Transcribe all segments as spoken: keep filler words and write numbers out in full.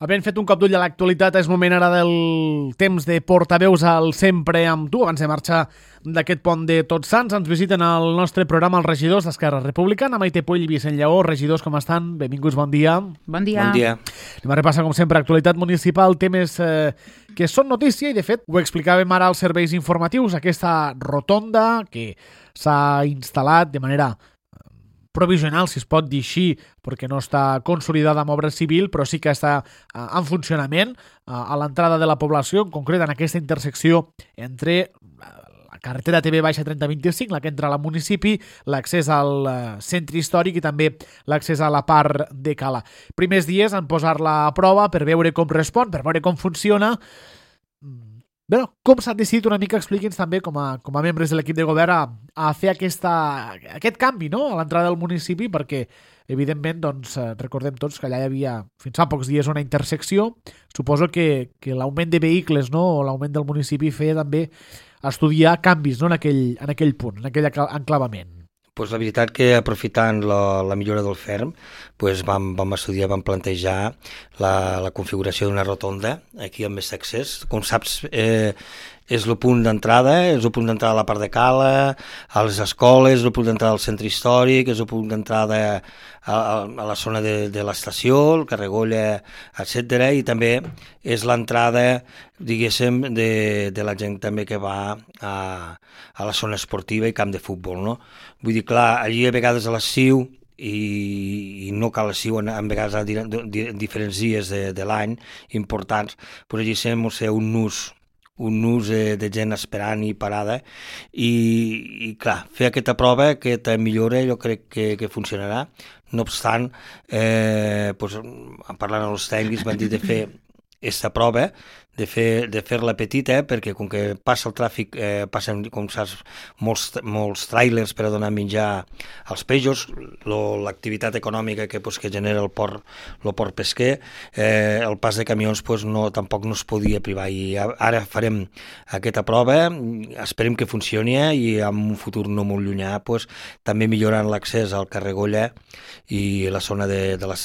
Havent fet un cop d'ull a l'actualitat, és moment ara del temps de portaveus al Sempre amb tu. Abans de marxar d'aquest pont de Tots Sants, ens visiten al nostre programa els regidors d'Esquerra Republicana, Maite Puig i Vicent Lleó. Regidors, com estan? Benvinguts, bon dia. Bon dia. Bon dia. Anem a repassar, com sempre, actualitat municipal, temes eh, que són notícia i, de fet, ho explicàvem ara als serveis informatius, aquesta rotonda que s'ha instal·lat de manera provisional, si es pot dir així, perquè no està consolidada amb obra civil, però sí que està uh, en funcionament uh, a l'entrada de la població, en concret en aquesta intersecció entre la carretera T V baixa trenta vint-i-cinc, la que entra al municipi, l'accés al uh, centre històric i també l'accés a la part de Cala. Primers dies en posar-la a prova per veure com respon, per veure com funciona. Bé, com s'ha decidit una mica, expliqui'ns també com a, com a membres de l'equip de govern a, a fer aquesta, aquest canvi, no?, a l'entrada del municipi, perquè evidentment doncs, recordem tots que allà hi havia fins fa pocs dies una intersecció. Suposo que, que l'augment de vehicles, no?, o l'augment del municipi feia també estudiar canvis, no?, en aquell, en aquell punt, en aquell enclavament. Pues la veritat que aprofitant la, la millora del ferm, pues vam, vam estudiar, vam plantejar la, la configuració d'una rotonda aquí amb més accés. Com saps, eh, és el punt d'entrada, és el punt d'entrada a la part de Cala, a les escoles, és el punt d'entrada al centre històric, és el punt d'entrada a, a, a la zona de, de l'estació, el Carregolla, etcètera. I també és l'entrada, diguéssim, de, de la gent també que va a, a la zona esportiva i camp de futbol, no? Vull dir, clar, allí a vegades a l'estiu, i, i no cal l'estiu, en, en vegades a di, di, diferents dies de, de l'any importants, però allí sembla ser un nus un nus de, de gent esperant i parada i, i clar, fer aquesta prova, aquesta millora, jo crec que, que funcionarà. No obstant, eh, pues, parlant amb els tècnics van dir de fer aquesta prova, de fer de fer-la petita, perquè com que passa el tràfic, eh, passen, com saps, molts, molts tràilers per a donar menjar als peixos, l'activitat econòmica que, pues, que genera el port, el port pesquer, eh, el pas de camions pues, no, tampoc no es podia privar. I ara farem aquesta prova, esperem que funcioni i en un futur no molt llunyà pues, també millorant l'accés al Carregolla i la zona de, de la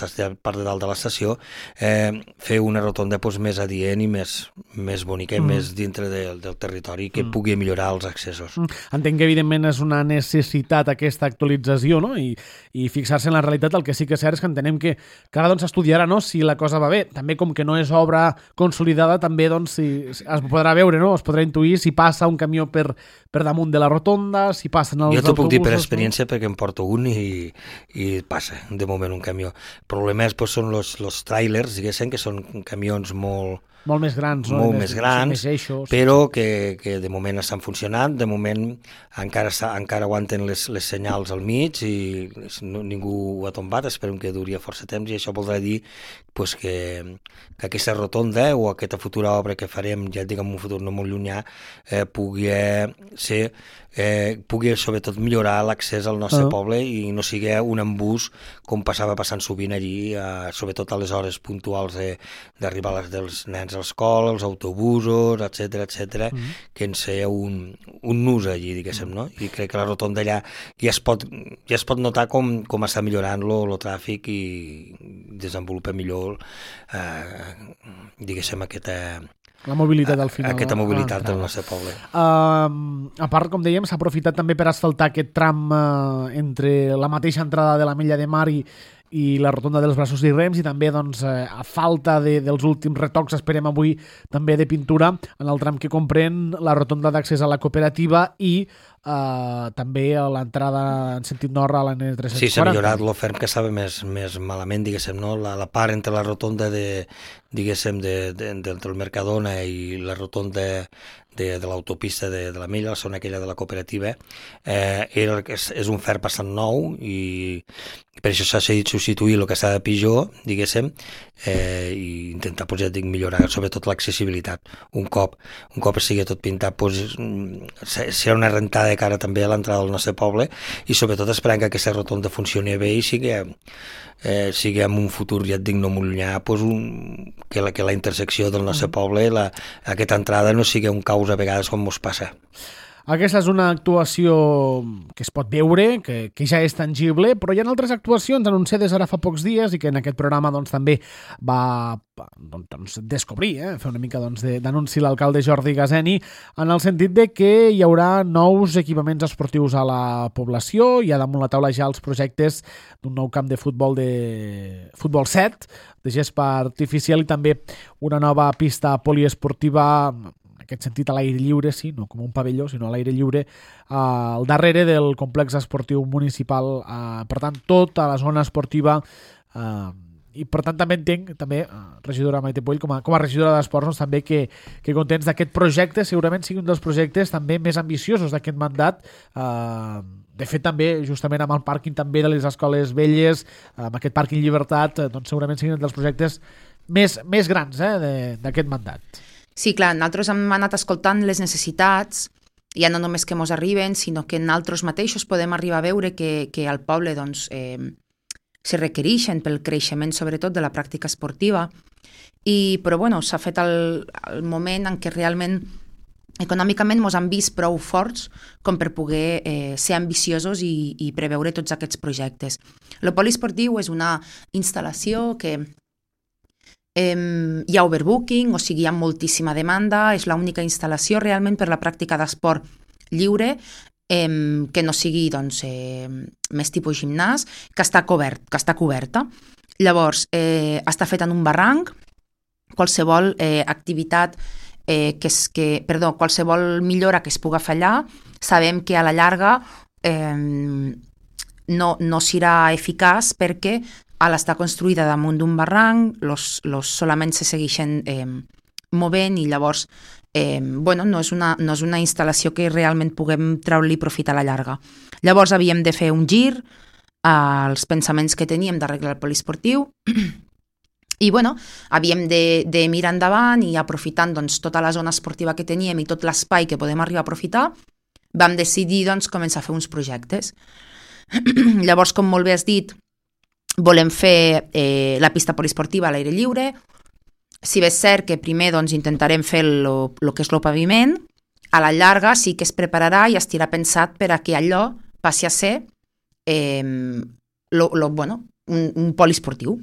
part de dalt de l'estació, eh, fer una rotonda pues, més adient i més més bonica i mm. més dintre de, del territori que mm. pugui millorar els accessos. Mm. Entenc que evidentment és una necessitat aquesta actualització, no? I, i fixar-se en la realitat. El que sí que és cert és que entenem que, que ara doncs, estudiarà, no?, si la cosa va bé. També com que no és obra consolidada, també doncs, si, si es podrà veure, no?, es podrà intuir si passa un camió per, per damunt de la rotonda, si passen els autobusos... Jo t'ho puc dir per experiència, no? Perquè em porto un i, i passa de moment un camió. El problema és, pues, són els trailers, diguéssim, que són camions molt... Molt més grans, no? Molt més, més grans, més eixos, però que, que de moment estan funcionant, de moment encara, encara aguanten les, les senyals al mig i no, ningú ho ha tombat, esperem que duri força temps i això voldrà dir pues, que, que aquesta rotonda o aquesta futura obra que farem, ja et dic en un futur no molt llunyà, eh, pugui ser eh, pugui sobretot millorar l'accés al nostre uh-huh. poble i no sigui un embús com passava passant sovint allí, eh, sobretot a les hores puntuals d'arribar dels nens a l'escola, els autobusos, etcètera, etcètera, uh-huh. que en ser un, un nus allí, diguéssim, no? I crec que la rotonda allà ja es pot, ja es pot notar com, com està millorant-lo el tràfic i desenvolupa millor, eh, diguéssim, aquesta... La mobilitat al final. Aquesta mobilitat del nostre poble. Uh, a part, com dèiem, s'ha aprofitat també per asfaltar aquest tram uh, entre la mateixa entrada de la Mella de Mar i, i la rotonda dels Braços i Rems i també, doncs, uh, a falta de, dels últims retocs, esperem avui també de pintura en el tram que comprèn la rotonda d'accés a la cooperativa i Uh, també a l'entrada en sentit nord a l'A N tres cents quaranta. Sí, s'ha millorat l'oferm que estava més, més malament, diguéssim, no? La, la part entre la rotonda de, diguéssim, de, de, de, del Mercadona i la rotonda de, de l'autopista de, de la Mella, la zona aquella de la cooperativa, eh, era, és, és un fer bastant nou i per això s'ha decidit substituir el que està de pitjor, diguéssim, eh, i intentar, pues, ja dic, millorar sobretot l'accessibilitat. Un cop, un cop sigui tot pintat, pues, serà una rentada de cara també a l'entrada del nostre poble i sobretot esperant que aquesta rotonda funcioni bé i sigui, eh, sigui en un futur, ja et dic, no molt llunyà, pues, un, que, la, que la intersecció del nostre poble, la, aquesta entrada no sigui un caos a vegades com ens passa. Aquesta és una actuació que es pot veure, que, que ja és tangible, però hi ha altres actuacions anunciades ara fa pocs dies i que en aquest programa doncs, també va doncs, descobrir, eh? fer una mica doncs, d'anunci l'alcalde Jordi Gazeni, en el sentit de que hi haurà nous equipaments esportius a la població, hi ha damunt la taula ja els projectes d'un nou camp de futbol de futbol set, de gespa artificial i també una nova pista poliesportiva, en aquest sentit a l'aire lliure, sí, no com un pavelló, sinó a l'aire lliure, eh, al darrere del complex esportiu municipal. Eh, per tant, tota la zona esportiva, eh, i per tant també entenc, també, eh, regidora Maite Puell, com a, com a regidora d'Esports, doncs, també que, que contents d'aquest projecte, segurament sigui un dels projectes també més ambiciosos d'aquest mandat. Eh, de fet, també, justament amb el pàrquing també de les escoles velles, amb aquest pàrquing Llibertat, eh, doncs segurament siguin un dels projectes més, més grans eh, d'aquest mandat. Sí, clar, nosaltres hem anat escoltant les necessitats, ja no només que mos arriben, sinó que nosaltres mateixos podem arribar a veure que, que al poble doncs, eh, se requereixen pel creixement, sobretot, de la pràctica esportiva. I, però bueno, s'ha fet el, el moment en què realment econòmicament mos han vist prou forts com per poder eh, ser ambiciosos i, i preveure tots aquests projectes. El poliesportiu és una instal·lació que Eh, hi ha overbooking, o sigui, hi ha moltíssima demanda, és l'única instal·lació realment per la pràctica d'esport lliure, eh, que no sigui doncs, eh, més tipus gimnàs, que està, cobert, que està coberta. Llavors, eh, està feta en un barranc, qualsevol eh, activitat, eh, que es, que, perdó, qualsevol millora que es puga fer allà, sabem que a la llarga eh, no, no serà eficaç perquè al estar construïda damunt d'un barranc, los, los solament se segueixen eh, movent i llavors eh, bueno, no, és una, no és una instal·lació que realment puguem treure-li profit a la llarga. Llavors havíem de fer un gir als pensaments que teníem d'arreglar el poliesportiu i bueno, havíem de, de mirar endavant i aprofitant doncs, tota la zona esportiva que teníem i tot l'espai que podem arribar a aprofitar, vam decidir doncs, començar a fer uns projectes. Llavors, com molt bé has dit, volem fer eh, la pista poliesportiva a l'aire lliure. Si bé és cert que primer doncs, intentarem fer el que és el paviment, a la llarga sí que es prepararà i estirà pensat per a que allò passi a ser eh, lo, lo, bueno, un, un poliesportiu.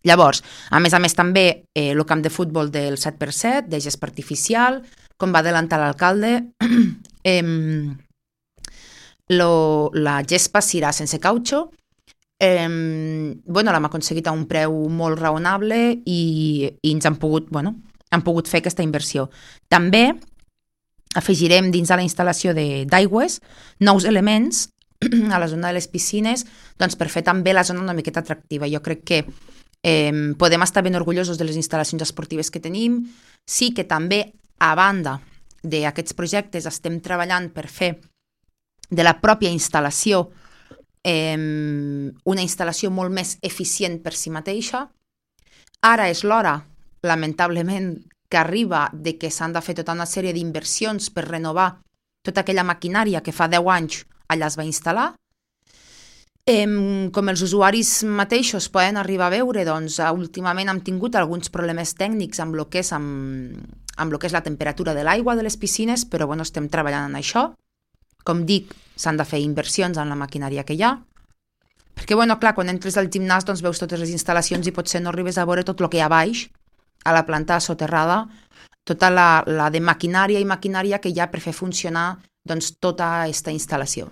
Llavors, a més a més també eh, el camp de futbol del set per set, de gespa artificial, com va adelantar l'alcalde, eh, lo, la gespa serà sense cautxo. Eh, bueno, l'hem aconseguit a un preu molt raonable i, i ens han pogut, bueno, han pogut fer aquesta inversió. També afegirem dins de la instal·lació d'aigües nous elements a la zona de les piscines doncs per fer també la zona una miqueta atractiva. Jo crec que eh, podem estar ben orgullosos de les instal·lacions esportives que tenim. Sí que també, a banda d'aquests projectes, estem treballant per fer de la pròpia instal·lació Eh, una instal·lació molt més eficient per si mateixa. Ara és l'hora, lamentablement, que arriba de que s'han de fer tota una sèrie d'inversions per renovar tota aquella maquinària que fa deu anys allà es va instal·lar. Eh, com els usuaris mateixos poden arribar a veure, doncs, últimament hem tingut alguns problemes tècnics amb el que és, amb, amb lo que és la temperatura de l'aigua de les piscines, però bueno, estem treballant en això. Com dic, s'han de fer inversions en la maquinària que hi ha, perquè, bueno, clar, quan entres al gimnàs doncs veus totes les instal·lacions i potser no arribes a veure tot el que hi ha baix, a la planta soterrada, tota la, la de maquinària i maquinària que hi ha per fer funcionar doncs, tota aquesta instal·lació.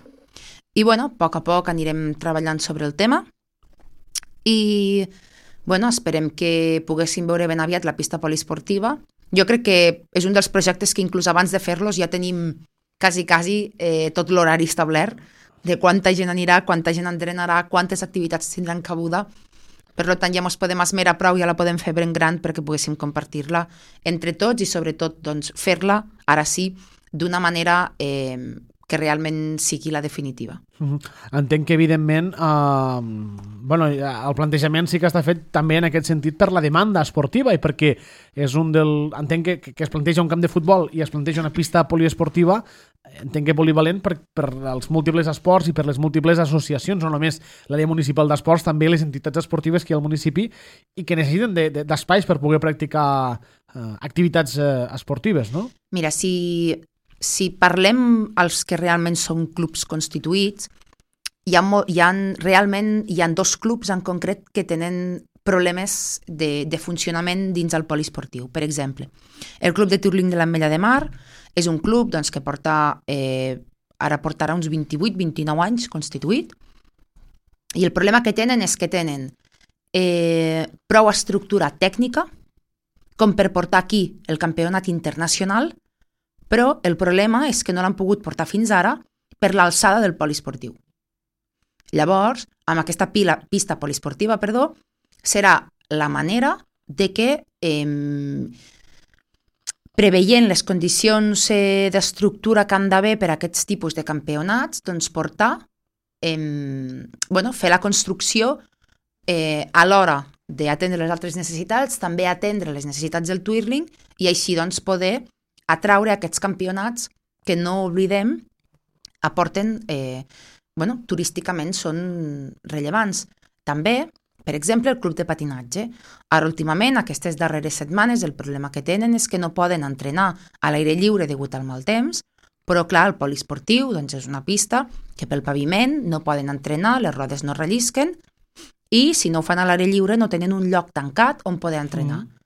I, bueno, a poc a poc anirem treballant sobre el tema i, bueno, esperem que poguéssim veure ben aviat la pista poliesportiva. Jo crec que és un dels projectes que inclús abans de fer-los ja tenim quasi, quasi eh, tot l'horari establert de quanta gent anirà, quanta gent entrenarà, quantes activitats tindran cabuda. Per tant, ja ens podem esmerar prou, ja la podem fer ben gran perquè poguéssim compartir-la entre tots i sobretot doncs, fer-la, ara sí, d'una manera eh, que realment sigui la definitiva. Uh-huh. Entenc que, evidentment, eh, bueno, el plantejament sí que està fet també en aquest sentit per la demanda esportiva i perquè és un del... Entenc que, que es planteja un camp de futbol i es planteja una pista poliesportiva, entenc que polivalent per, per als múltiples esports i per les múltiples associacions, no només l'àrea municipal d'esports, també les entitats esportives que hi ha al municipi i que necessiten de, de, d'espais per poder practicar eh, activitats eh, esportives, no? Mira, si... si parlem als que realment són clubs constituïts, hi ha, hi ha realment hi ha dos clubs en concret que tenen problemes de, de funcionament dins el poliesportiu. Per exemple, el Club de Tirling de l'Ametlla de Mar és un club doncs, que porta, eh, ara portarà uns vint-i-vuit vint-i-nou anys constituït, i el problema que tenen és que tenen eh, prou estructura tècnica com per portar aquí el campionat internacional, però el problema és que no l'han pogut portar fins ara per l'alçada del poliesportiu. Llavors, amb aquesta pila, pista poliesportiva, perdó, serà la manera de que, eh, preveient les condicions eh, d'estructura que han d'haver per a aquests tipus de campionats, doncs portar, eh, bueno, fer la construcció eh, a l'hora d'atendre les altres necessitats, també atendre les necessitats del twirling i així doncs poder atraure aquests campionats que no oblidem aporten, eh, bueno, turísticament són rellevants. També, per exemple, el club de patinatge. Ara, últimament, aquestes darreres setmanes, el problema que tenen és que no poden entrenar a l'aire lliure degut al mal temps, però, clar, el poliesportiu doncs, és una pista que pel paviment no poden entrenar, les rodes no rellisquen, i si no ho fan a l'aire lliure no tenen un lloc tancat on poder entrenar. Mm.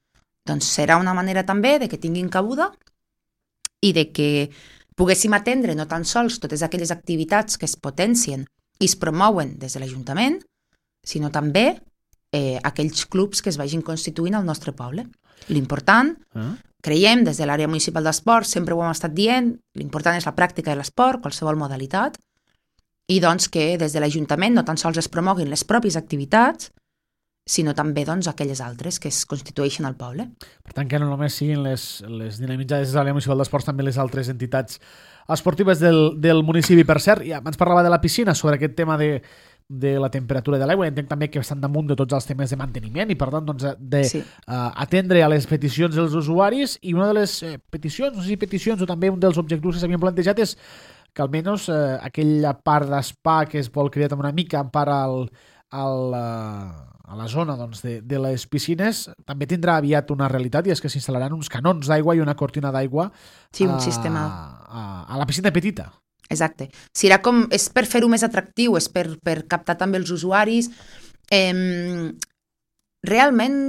Doncs serà una manera també de que tinguin cabuda i de que poguéssim atendre no tan sols totes aquelles activitats que es potencien i es promouen des de l'Ajuntament, sinó també eh, aquells clubs que es vagin constituint al nostre poble. L'important, uh-huh. creiem, des de l'àrea municipal d'esport, sempre ho hem estat dient, l'important és la pràctica de l'esport, qualsevol modalitat, i doncs que des de l'Ajuntament no tan sols es promoguin les pròpies activitats, sinó també doncs, aquelles altres que es constitueixen al poble. Per tant, que no només siguin les, les dinamitzades de l'àrea municipal d'esports, també les altres entitats esportives del, del municipi. Per cert, ja abans parlava de la piscina, sobre aquest tema de, de la temperatura de l'aigua, entenc també que estan damunt de tots els temes de manteniment i per tant doncs, de sí. uh, atendre a les peticions dels usuaris, i una de les eh, peticions, no sé si peticions o també un dels objectius que s'havien plantejat és que almenys eh, aquella part d'espa que es vol crear una mica en part al, al, uh, a la zona doncs, de, de les piscines també tindrà aviat una realitat, i és que s'instal·laran uns canons d'aigua i una cortina d'aigua sí, un a, sistema. A, a la piscina petita. Exacte. Serà com, és per fer-ho més atractiu, és per, per captar també els usuaris. Eh, realment,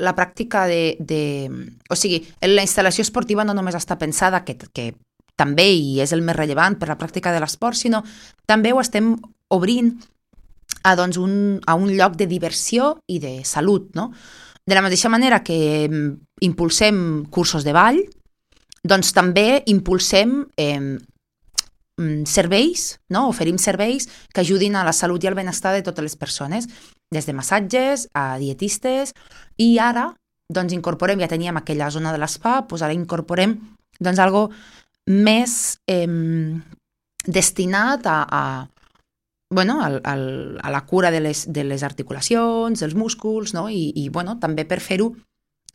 la pràctica de, de... O sigui, la instal·lació esportiva no només està pensada, que, que també i és el més rellevant per la pràctica de l'esport, sinó també ho estem obrint a, doncs, un, a un lloc de diversió i de salut, no? De la mateixa manera que impulsem cursos de ball, doncs també impulsem eh, serveis, no? Oferim serveis que ajudin a la salut i al benestar de totes les persones, des de massatges a dietistes, i ara doncs incorporem, ja teníem aquella zona de l'espa, doncs ara incorporem doncs algo més eh, destinat a, a bueno, al, al, a la cura de les, de les articulacions, dels músculs, no? I, i bueno, també per fer-ho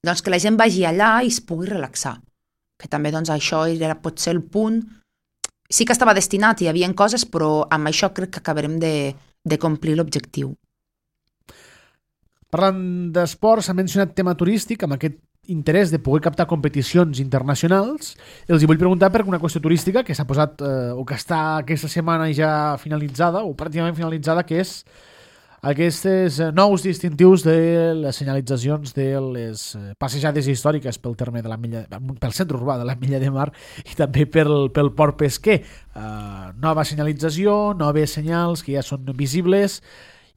doncs, que la gent vagi allà i es pugui relaxar. Que també doncs, això era potser el punt. Sí que estava destinat, hi havia coses, però amb això crec que acabarem de, de complir l'objectiu. Parlant d'esports, s'ha mencionat tema turístic, amb aquest interès de poder captar competicions internacionals. Els hi vull preguntar per una qüestió turística que s'ha posat, eh, o que està aquesta setmana ja finalitzada, o pràcticament finalitzada, que és aquests nous distintius de les senyalitzacions de les passejades històriques pel terme de la Milla, pel centre urbà de la Milla de Mar i també pel, pel port pesquer. Uh, nova senyalització, noves senyals que ja són visibles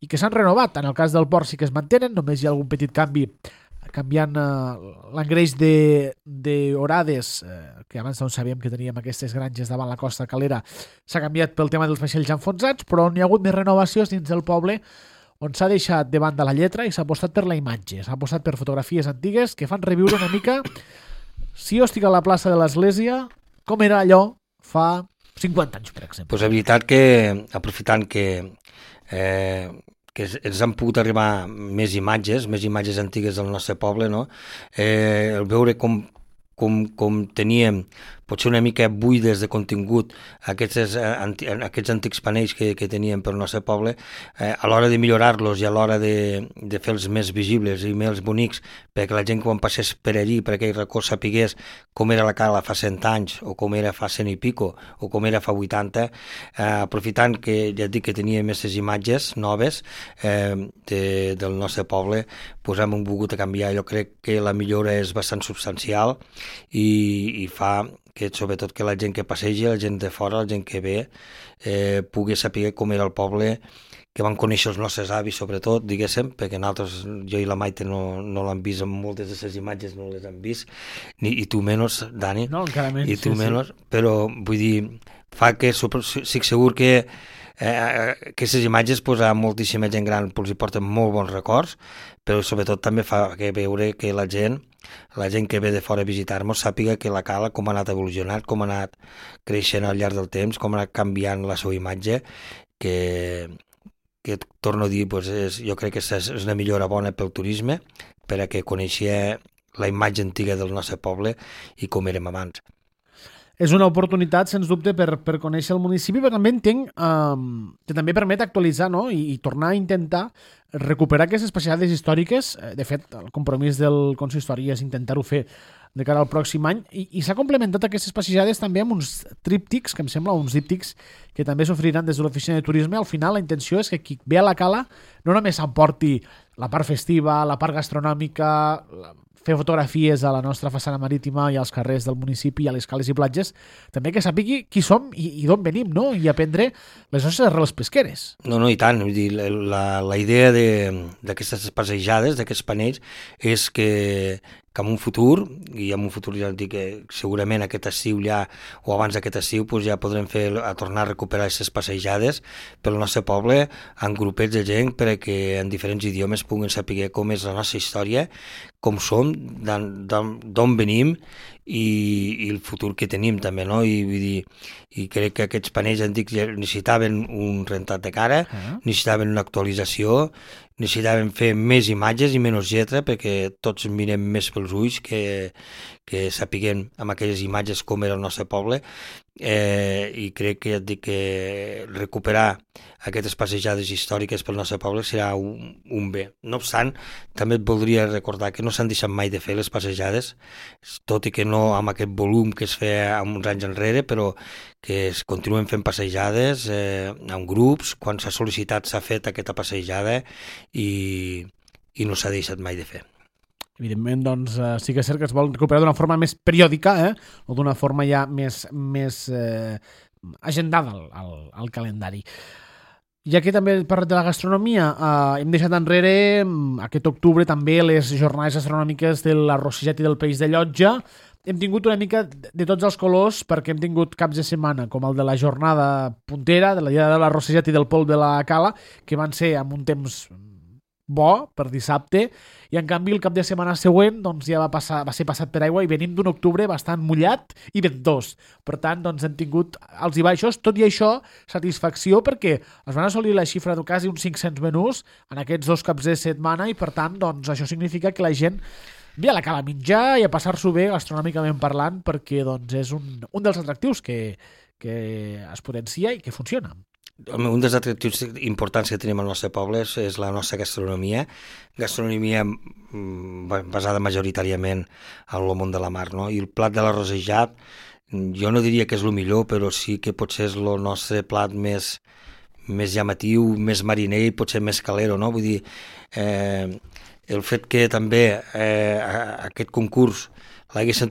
i que s'han renovat. En el cas del port sí que es mantenen, només hi ha algun petit canvi canviant uh, l'engreix d'horades, uh, que abans doncs sabíem que teníem aquestes granges davant la costa calera, s'ha canviat pel tema dels vaixells enfonsats, però on hi ha hagut més renovacions dins del poble, on s'ha deixat de banda la lletra i s'ha apostat per la imatge, s'ha apostat per fotografies antigues que fan reviure una mica, si jo estic a la plaça de l'Església, com era allò fa cinquanta anys, per exemple. Pues la veritat que, aprofitant que eh, que ens han pogut arribar més imatges, més imatges antigues del nostre poble, no? Eh, el veure com, com, com teníem potser una mica buides de contingut aquests, anti, aquests antics panells que, que teníem pel nostre poble, eh, a l'hora de millorar-los i a l'hora de, de fer-los més visibles i més bonics, perquè la gent quan passés per allí, per aquell racó, sapigués com era la Cala fa cent anys, o com era fa cent i pico, o com era fa vuitanta, eh, aprofitant que ja et dic que tenia aquestes imatges noves eh, de, del nostre poble, pues hem volgut a canviar. Jo crec que la millora és bastant substancial i, i fa que sobretot que la gent que passegi, la gent de fora, la gent que ve, eh, pugui saber com era el poble, que van conèixer els nostres avis, sobretot, diguéssim, perquè nosaltres, jo i la Maite no, no l'han vist, amb moltes de les imatges no les han vist, ni, i tu menys, Dani, no, encara menys, i tu sí, menys, sí. Però vull dir, fa que estic segur que eh, aquestes imatges pues, a moltíssima gent gran pues, hi porten molt bons records, però sobretot també fa que veure que la gent la gent que ve de fora a visitar-nos sàpiga que la Cala com ha anat evolucionant, com ha anat creixent al llarg del temps, com ha anat canviant la seva imatge, que, que torno a dir, pues és, jo crec que és una millora bona pel turisme, per a que coneixia la imatge antiga del nostre poble i com érem abans. És una oportunitat, sens dubte, per, per conèixer el municipi, però també entenc eh, que també permet actualitzar, no? I, i tornar a intentar recuperar aquestes passejades històriques. De fet, el compromís del consistori és intentar-ho fer de cara al pròxim any, i, i s'ha complementat aquestes passejades també amb uns tríptics, que em sembla, uns díptics que també s'oferiran des de l'oficina de turisme. Al final, la intenció és que qui ve a la Cala no només s'emporti la part festiva, la part gastronòmica, la fer fotografies a la nostra façana marítima i als carrers del municipi, a les cales i platges, també que sàpigui qui som i, i d'on venim, no? I aprendre les nostres arrels pesqueres. No, no, i tant. Vull dir, la, la idea d'aquestes passejades, d'aquests panells, és que, que en un futur, i en un futur ja dic que segurament aquest estiu ja, o abans d'aquest estiu, pues ja podrem fer, a tornar a recuperar aquestes passejades pel nostre poble, en grupets de gent, perquè en diferents idiomes puguin saber com és la nostra història, com som, d'on venim i, i el futur que tenim també, no? I, vull dir, i crec que aquests panells antics necessitaven un rentat de cara, uh-huh. necessitaven una actualització, necessitaven fer més imatges i menys lletra, perquè tots mirem més pels ulls que, que sapiguem amb aquelles imatges com era el nostre poble, eh, i crec que ja et dic que recuperar aquestes passejades històriques pel nostre poble serà un, un bé. No obstant, també et voldria recordar que no s'han deixat mai de fer les passejades, tot i que no amb aquest volum que es feia uns anys enrere, però que es continuen fent passejades eh, en grups, quan s'ha sol·licitat s'ha fet aquesta passejada i, i no s'ha deixat mai de fer. Evidentment, doncs, eh, sí que és cert que es vol recuperar d'una forma més periòdica, eh? O d'una forma ja més, més eh, agendada al, al, al calendari. Ja que també he parlat de la gastronomia, eh, hem deixat enrere aquest octubre també les jornades gastronòmiques de l'arrossejat i del peix de Llotja. Hem tingut una mica de tots els colors, perquè hem tingut caps de setmana com el de la jornada puntera, de la dia de l'arrossejat i del pol de la Cala, que van ser amb un temps bo per dissabte, i en canvi el cap de setmana següent doncs, ja va, passar, va ser passat per aigua i venim d'un octubre bastant mullat i ventós. Per tant, doncs, hem tingut alts i baixos, tot i això, satisfacció perquè es van assolir la xifra de quasi uns cinc-cents menús en aquests dos caps de setmana, i per tant, doncs, això significa que la gent ve a la Cala a menjar i a passar-s'ho bé gastronòmicament parlant, perquè doncs, és un, un dels atractius que, que es potencia i que funciona. Un dels atractius importants que tenim al nostre poble és, és la nostra gastronomia, gastronomia basada majoritàriament en el món de la mar, no? I el plat de l'arrossejat, jo no diria que és el millor, però sí que potser és el nostre plat més, més llamatiu, més mariner i potser més calero, no? Vull dir, eh, el fet que també eh, aquest concurs l'haguessin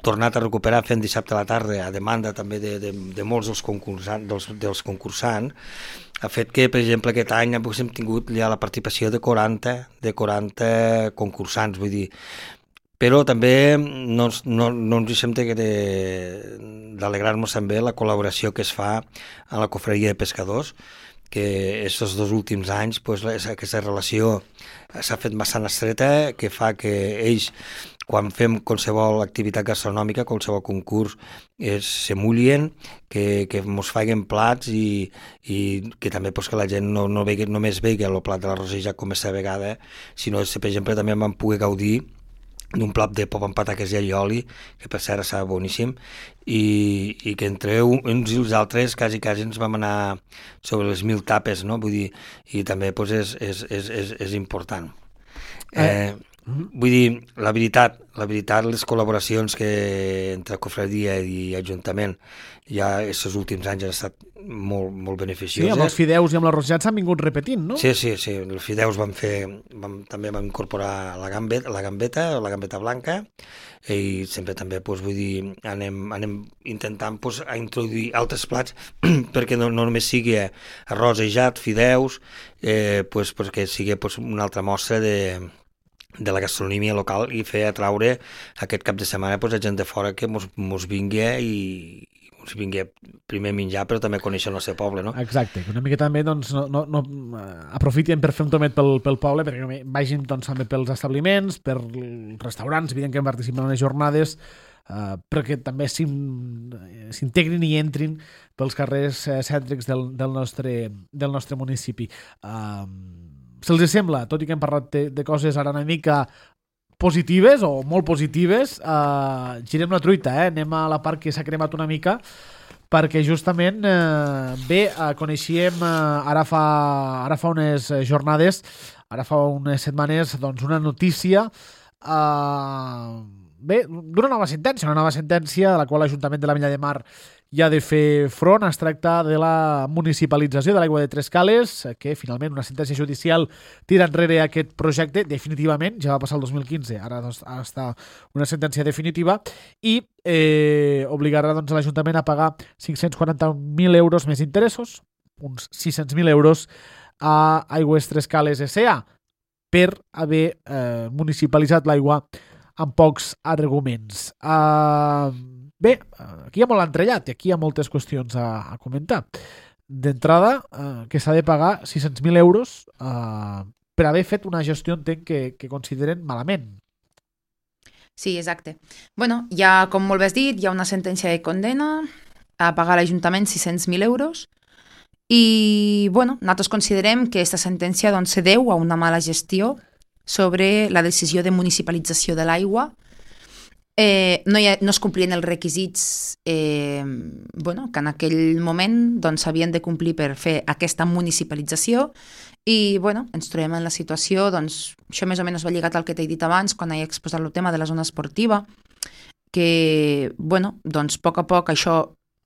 tornat a recuperar fent dissabte a la tarda a demanda també de, de, de molts dels concursants, dels, dels concursants, ha fet que, per exemple, aquest any hem tingut ja la participació de quaranta, de quaranta concursants, vull dir, però també no, no, no ens deixem d'alegrar-nos també la col·laboració que es fa a la cofreria de pescadors, que aquests dos últims anys pues, aquesta relació s'ha fet bastant estreta, que fa que ells, quan fem qualsevol activitat gastronòmica, qualsevol concurs, es, se mullien, que, que mos faiguen plats i, i que també pues, que la gent no, no vegi, només vegi el plat de l'arrossejat com aquesta vegada, sinó que, per exemple, també vam poder gaudir d'un plat de pop amb pataques i allioli, que per cert estava boníssim, i, i que entre uns i els altres quasi, quasi ens vam anar sobre les mil tapes, no? Vull dir, i també pues, és, és, és, és, és important. Eh, vull dir, la veritat, la veritat, les col·laboracions que entre cofradia i ajuntament ja aquests últims anys han estat molt, molt beneficioses. Sí, amb els fideus i amb l'arrossegat s'han vingut repetint, no? Sí, sí, sí. Els fideus van fer... Vam, també vam incorporar la gambeta, la gambeta, la gambeta blanca, i sempre també, doncs, vull dir, anem, anem intentant doncs, a introduir altres plats perquè no, no només sigui arrosejat, fideus, eh, doncs, perquè sigui doncs, una altra mostra de de la gastronomia local i fer atraure aquest cap de setmana pues, a gent de fora que mos, mos vingui i mos vingui primer a menjar però també a conèixer el nostre poble, no? Exacte, que una mica també doncs, no, no, no aprofitin per fer un tomet pel, pel poble perquè vagin doncs, també pels establiments, per restaurants, evident que participen en les jornades, uh, perquè també s'integrin i entrin pels carrers uh, cèntrics del, del, nostre, del nostre municipi. Uh, Se'ls sembla, tot i que hem parlat de, de coses ara una mica positives o molt positives, eh, girem la truita, eh? Anem a la part que s'ha cremat una mica, perquè justament, eh, bé, eh, coneixíem eh, ara, fa, ara fa unes jornades, ara fa unes setmanes, doncs una notícia, eh, bé, d'una nova sentència, una nova sentència de la qual l'Ajuntament de la Vella de Mar hi ha de fer front. Es tracta de la municipalització de l'aigua de Trescales, que finalment una sentència judicial tira enrere aquest projecte definitivament, ja va passar el dos mil quinze, ara doncs, està una sentència definitiva, i eh, obligarà doncs, l'Ajuntament a pagar cinc-cents quaranta mil euros més interessos, uns sis-cents mil euros a Aigües Trescales S A per haver eh, municipalitzat l'aigua amb pocs arguments. Uh, Bé, aquí hi ha molt entrellat i aquí hi ha moltes qüestions a, a comentar. D'entrada, eh, que s'ha de pagar sis-cents mil euros eh, per haver fet una gestió, entenc, que, que consideren malament. Sí, exacte. Bueno, ja, com molt bé has dit, hi ha una sentència de condena a pagar a l'Ajuntament sis-cents mil euros i, bueno, nosaltres considerem que aquesta sentència doncs, se deu a una mala gestió sobre la decisió de municipalització de l'aigua. Eh, no, ha, no es complien els requisits eh, bueno, que en aquell moment doncs, s'havien de complir per fer aquesta municipalització i bueno, ens trobem en la situació, doncs, això més o menys va lligat al que t'he dit abans quan he exposat el tema de la zona esportiva, que bueno, doncs, a poc a poc això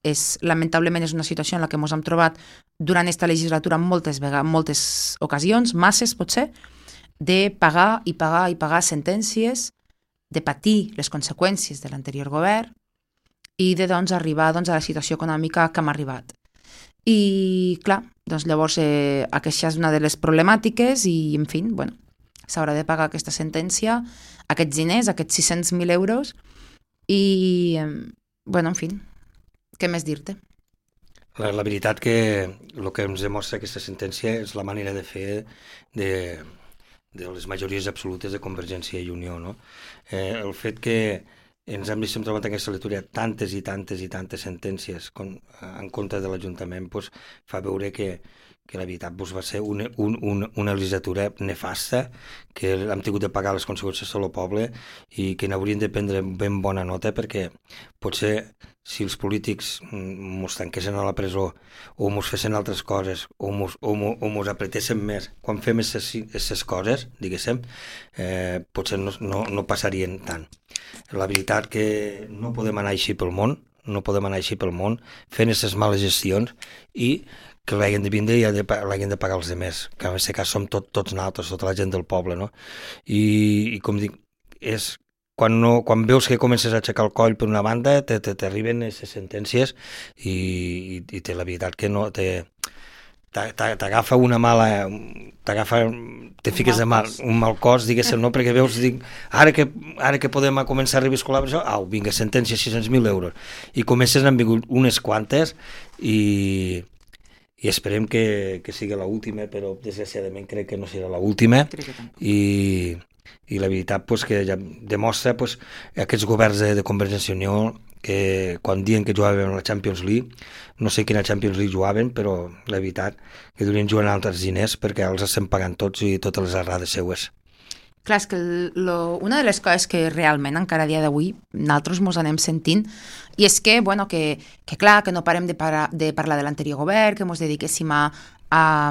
és, lamentablement és una situació en la que ens hem trobat durant aquesta legislatura en moltes, vegades, moltes ocasions, masses potser, de pagar i pagar i pagar sentències, de patir les conseqüències de l'anterior govern i de doncs, arribar doncs, a la situació econòmica que hem arribat. I, clar, doncs, llavors eh, aquesta és una de les problemàtiques i, en fi, bueno, s'haurà de pagar aquesta sentència, aquests diners, aquests sis-cents mil euros i, eh, bueno, en fi, què més dir-te? La, la veritat que el que ens demostra aquesta sentència és la manera de fer de... de les majories absolutes de Convergència i Unió, no? Eh, el fet que ens hem vist trobat en aquesta lectura tantes i tantes i tantes sentències con, en contra de l'Ajuntament pues, fa veure que, que la veritat pues, va ser una, un, un, una legislatura nefasta, que hem tingut de pagar les conseqüències del poble i que n'haurien de prendre ben bona nota perquè potser si els polítics mos tanquessin a la presó o mos fessin altres coses o mos, o mos, o mos apretessin més quan fem aquestes coses, diguéssim, eh, potser no, no, no passarien tant. La veritat que no podem anar així pel món, no podem anar així pel món fent aquestes males gestions i que l'hagin de vindre i l'hagin de pagar els demés, que en aquest cas som tot, tots nosaltres, tota la gent del poble, no? I, i com dic, és quan, no, quan veus que comences a aixecar el coll per una banda, t'arriben aquestes sentències i, i, i té la veritat que no te, t'agafa una mala t'agafa, te fiques de mal, un mal cos, diguéssim, no? Perquè veus, dic, ara que, ara que podem començar a reviscolar això, au, vinga, sentència, sis-cents mil euros, i comences, n'han vingut unes quantes i i esperem que, que sigui l'última, però desgraciadament crec que no serà l'última i, i la veritat pues, que ja demostra pues, aquests governs de, de Convergència i Unió que quan diuen que jugaven a la Champions League, no sé quina Champions League jugaven, però la veritat que durien jugant altres diners perquè els estem pagant tots i totes les errades seues. Clar, és que lo, una de les coses que realment encara a dia d'avui nosaltres mos anem sentint i és que, bueno, que, que clar, que no parem de, para, de parlar de l'anterior govern, que mos dediquéssim a, a,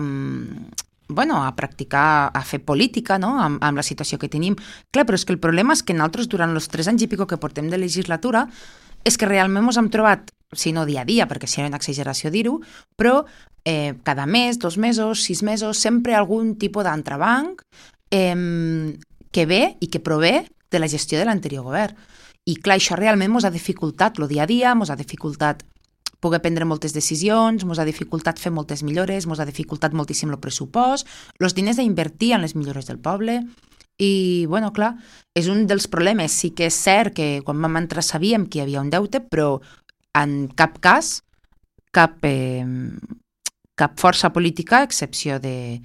bueno, a practicar, a fer política, no?, amb, amb la situació que tenim. Clar, però és que el problema és que nosaltres durant els tres anys i pico que portem de legislatura és que realment mos hem trobat, si no dia a dia, perquè seria una exageració dir-ho, però eh, cada mes, dos mesos, sis mesos, sempre algun tipus d'entrebanc Eh, que ve i que prové de la gestió de l'anterior govern. I clar, això realment ens ha dificultat el dia a dia, ens ha dificultat poder prendre moltes decisions, ens ha dificultat fer moltes millores, ens ha dificultat moltíssim el pressupost, els diners a invertir en les millores del poble. I, bueno, clar, és un dels problemes. Sí que és cert que quan vam entrar sabíem que hi havia un deute, però en cap cas, cap, eh, cap força política, a excepció de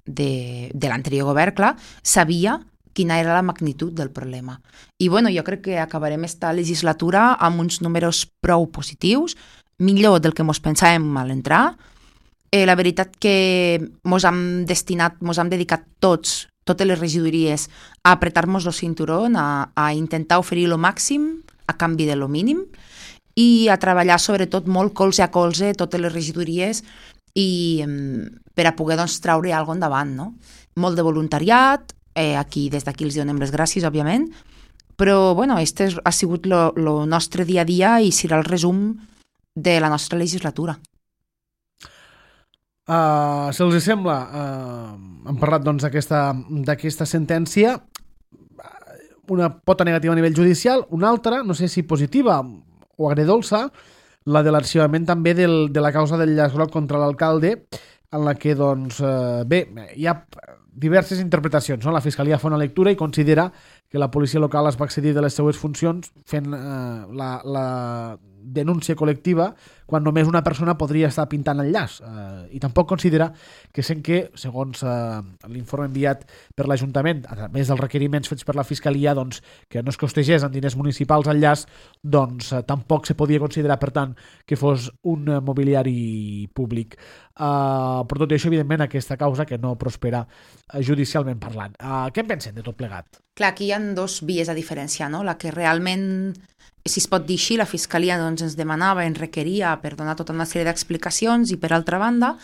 de, de l'anterior govern, clar, sabia quina era la magnitud del problema. I bueno, jo crec que acabarem esta legislatura amb uns números prou positius, millor del que mos pensàvem a l'entrar. Eh, la veritat que mos hem destinat, mos hem dedicat tots, totes les regidories, a apretar-nos el cinturón, a, a intentar oferir el màxim a canvi de lo mínim i a treballar sobretot molt colze a colze totes les regidories i per a poder doncs, traure alguna cosa endavant, no? Molt de voluntariat, eh, aquí des d'aquí els donem les gràcies, òbviament, però bueno, este ha sigut el nostre dia a dia i serà el resum de la nostra legislatura. Uh, si els sembla, uh, hem parlat doncs, d'aquesta sentència, una pota negativa a nivell judicial, una altra, no sé si positiva o agredolça, la de l'arxivament també del, de la causa del llaç groc contra l'alcalde, en la que, doncs, eh, bé, hi ha diverses interpretacions, no? La Fiscalia fa una lectura i considera que la policia local es va excedir de les seues funcions fent eh, la, la denúncia col·lectiva quan només una persona podria estar pintant el llaç. Eh, I tampoc considera que sent que, segons eh, l'informe enviat per l'Ajuntament, a més dels requeriments fets per la Fiscalia, doncs, que no es costegés en diners municipals el llaç, doncs eh, tampoc se podia considerar, per tant, que fos un eh, mobiliari públic. Uh, per tot això, evidentment, aquesta causa que no prospera uh, judicialment parlant. Uh, què en pensen de tot plegat? Clar, aquí hi ha dos vies a diferenciar, no? La que realment, si es pot dir així, la Fiscalia doncs, ens demanava, ens requeria per donar tota una sèrie d'explicacions i, per altra banda,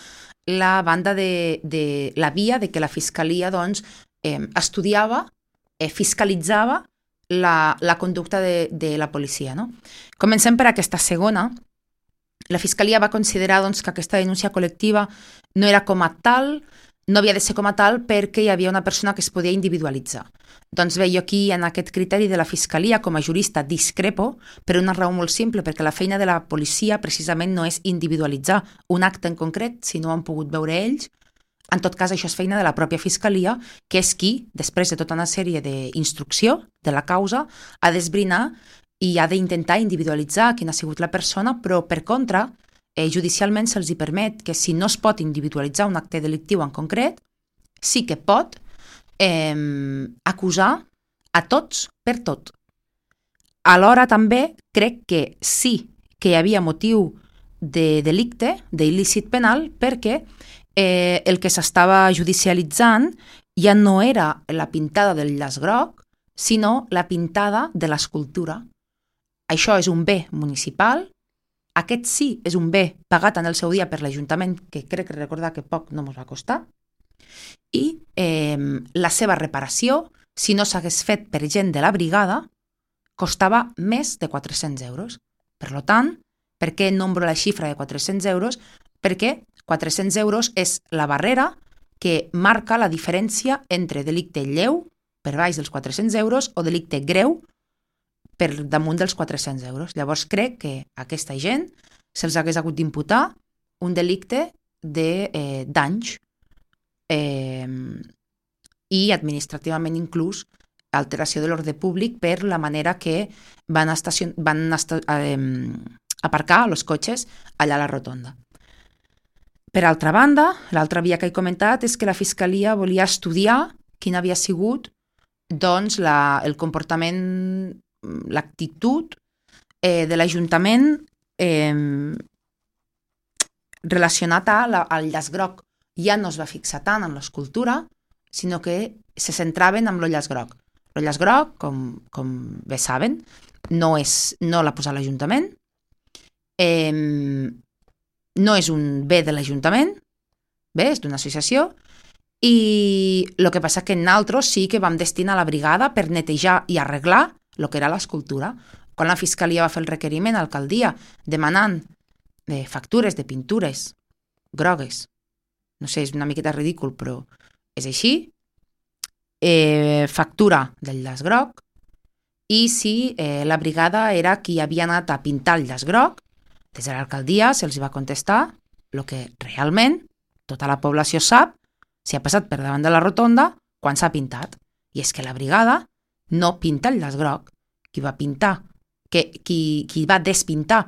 la banda de, de la via de que la Fiscalia doncs, eh, estudiava, eh, fiscalitzava la, la conducta de, de la policia. No? Comencem per aquesta segona. La Fiscalia va considerar doncs, que aquesta denúncia col·lectiva no era com a tal, no havia de ser com a tal perquè hi havia una persona que es podia individualitzar. Doncs bé, jo aquí en aquest criteri de la Fiscalia com a jurista discrepo per una raó molt simple, perquè la feina de la policia precisament no és individualitzar un acte en concret, si no ho han pogut veure ells. En tot cas, això és feina de la pròpia Fiscalia, que és qui, després de tota una sèrie d'instrucció de la causa, ha d'esbrinar i ha d'intentar individualitzar quina ha sigut la persona, però per contra, eh, judicialment se'ls hi permet que si no es pot individualitzar un acte delictiu en concret, sí que pot eh, acusar a tots per tot. Alhora també crec que sí que hi havia motiu de delicte, d'il·lícit penal, perquè eh, el que s'estava judicialitzant ja no era la pintada del llaç groc, sinó la pintada de l'escultura. Això és un bé municipal, aquest sí és un bé pagat en el seu dia per l'Ajuntament, que crec recordar que poc no ens va costar, i eh, la seva reparació, si no s'hagués fet per gent de la brigada, costava més de quatre-cents euros. Per tant, per què nombro la xifra de quatre-cents euros? Perquè quatre-cents euros és la barrera que marca la diferència entre delicte lleu, per baix dels quatre-cents euros, o delicte greu, per damunt dels quatre-cents euros. Llavors crec que a aquesta gent se'ls hagués hagut d'imputar un delicte de eh, danys eh, i administrativament inclús alteració de l'ordre públic per la manera que van, estacion... van esta... eh, aparcar els cotxes allà a la rotonda. Per altra banda, l'altra via que he comentat és que la Fiscalia volia estudiar quin havia sigut doncs, la, el comportament, l'actitud eh, de l'Ajuntament eh, relacionat a la, al llaç groc. Ja no es va fixar tant en l'escultura, sinó que se centraven en l'Ollaç Groc. L'Ollaç Groc, com, com bé saben, no, és, no l'ha posat l'Ajuntament, eh, no és un bé de l'Ajuntament, bé, és d'una associació, i el que passa que nosaltres sí que vam destinar la brigada per netejar i arreglar el que era l'escultura. Quan la Fiscalia va fer el requeriment a l'alcaldia demanant eh, factures de pintures grogues, no sé, és una miqueta ridícul, però és així, eh, factura del llaç groc, i si eh, la brigada era qui havia anat a pintar el llaç groc, des de l'alcaldia se'ls va contestar el que realment tota la població sap si ha passat per davant de la rotonda quan s'ha pintat. I és que la brigada no pinta el llaç groc. Qui va pintar, que, qui, qui va despintar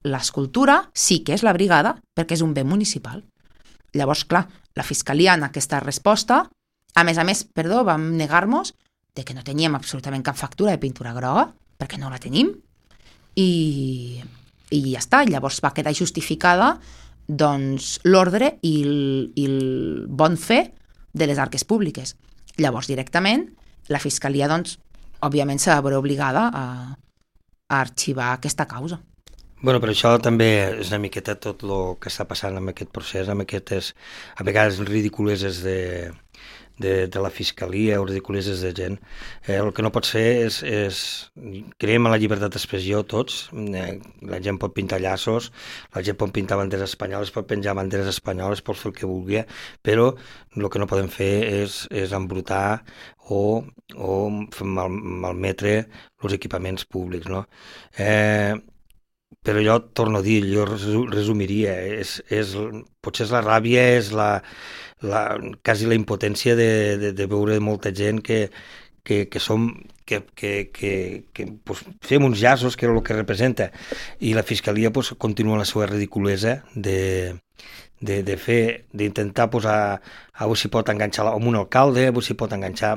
l'escultura sí que és la brigada, perquè és un bé municipal. Llavors, clar, la Fiscalia en aquesta resposta, a més a més, perdó, vam negar-nos de que no teníem absolutament cap factura de pintura groga, perquè no la tenim, i, i ja està. Llavors va quedar justificada doncs, l'ordre i el, i el bon fer de les arques públiques. Llavors, directament, la Fiscalia, doncs, òbviament, s'ha de veure obligada a, a arxivar aquesta causa. Bueno, però això també és una miqueta tot el que està passant amb aquest procés, amb aquestes, a vegades ridiculeses de, de, de la Fiscalia o ridiculeses de gent. Eh, el que no pot ser és, és creiem en la llibertat d'expressió tots, eh, la gent pot pintar llaços, la gent pot pintar banderes espanyoles, pot penjar banderes espanyoles, pot fer el que vulgui, però el que no podem fer és, és embrutar o, o mal, malmetre els equipaments públics, no? Eh, Però jo torno a dir, jo resumiria, és, és, potser és la ràbia, és la, la, quasi la impotència de, de, de veure molta gent que, que, que som, que, que, que, que pues, fem uns llaços, que és el que representa, i la Fiscalia pues, continua la seva ridiculesa de, de, de fer, d'intentar posar, a veure si pot enganxar amb un alcalde, a veure si pot enganxar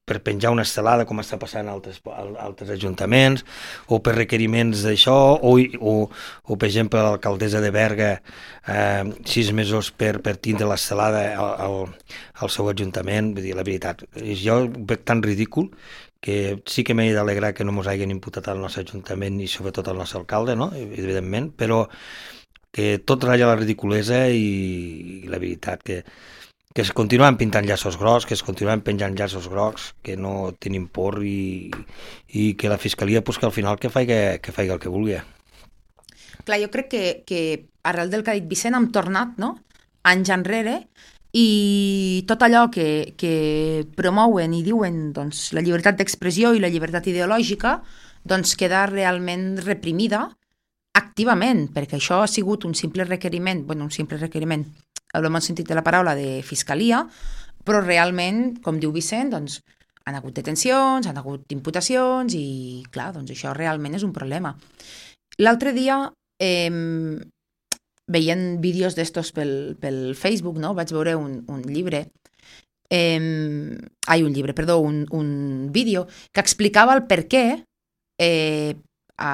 per penjar una estelada, com està passant a altres, a altres ajuntaments, o per requeriments d'això, o, o, o per exemple l'alcaldessa de Berga, eh, sis mesos per, per tindre l'estelada al, al, al seu ajuntament. Vull dir, la veritat, jo ho veig tan ridícul que sí que m'he d'alegrar que no mos hagin imputat al nostre ajuntament i sobretot al nostre alcalde, no? Evidentment, però que tot ratlla la ridiculesa i, i la veritat que que es continuen pintant llaços grocs, que es continuen penjant llaços grocs, que no tenim por i, i que la Fiscalia, pues, que al final que faci que faci el que vulgui. Clar, jo crec que, que arrel del que ha dit Vicent hem tornat, no?, anys enrere, i tot allò que, que promouen i diuen doncs, la llibertat d'expressió i la llibertat ideològica doncs queda realment reprimida activament, perquè això ha sigut un simple requeriment, bueno, un simple requeriment, en el bon sentit de la paraula, de Fiscalia, però realment, com diu Vicent, doncs, han hagut detencions, han hagut imputacions i, clar, doncs això realment és un problema. L'altre dia, eh, veient vídeos d'estos pel, pel Facebook, no?, vaig veure un, un llibre, eh, ai, un llibre, perdó, un, un vídeo que explicava el per què eh, a,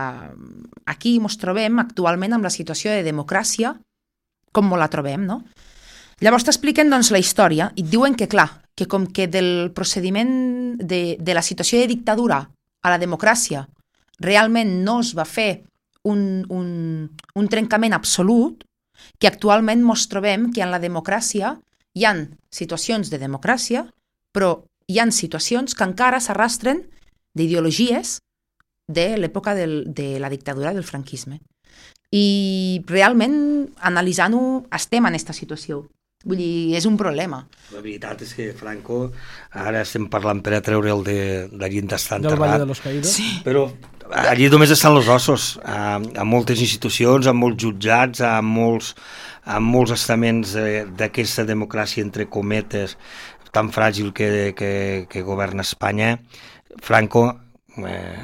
aquí ens trobem actualment amb la situació de democràcia com la trobem, no? Llavors t'expliquen doncs, la història i et diuen que, clar, que com que del procediment de, de la situació de dictadura a la democràcia realment no es va fer un, un, un trencament absolut, que actualment ens trobem que en la democràcia hi ha situacions de democràcia, però hi ha situacions que encara s'arrastren d'ideologies de l'època del, de la dictadura del franquisme. I realment, analitzant-ho, estem en aquesta situació. Vull dir, és un problema. La veritat és que Franco, ara estem parlant per a treure'l de, d'allí on està enterrat. Del Valle de los Caídos. Sí. Però allí només estan els ossos, a, a moltes institucions, a molts jutjats, a molts, a molts estaments d'aquesta democràcia, entre cometes, tan fràgil que, que, que governa Espanya. Franco Eh,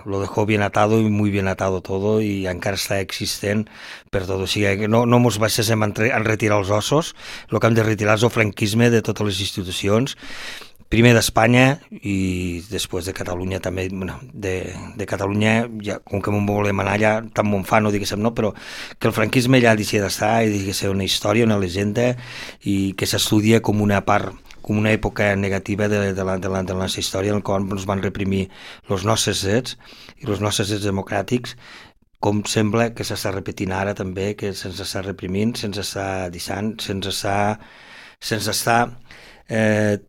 lo dejó bien atado y muy bien atado todo y encara està existent per tot, o sigui, no, no mos baixéssim en, en retirar els ossos, el que hem de retirar és el franquisme de totes les institucions, primer d'Espanya i després de Catalunya també, bueno, de, de Catalunya, ja, com que m'ho volem anar allà, tan mon fa, no diguéssim no, però que el franquisme ja deixi d'estar i deixi de ser una història, una llegenda i que s'estudia com una part com una època negativa de, de, la, de, la, de la nostra història, en la qual ens van reprimir els nostres drets i els nostres drets democràtics, com sembla que s'està repetint ara també, que se'ns està reprimint, se'ns està deixant, se'ns està, se'ns està eh,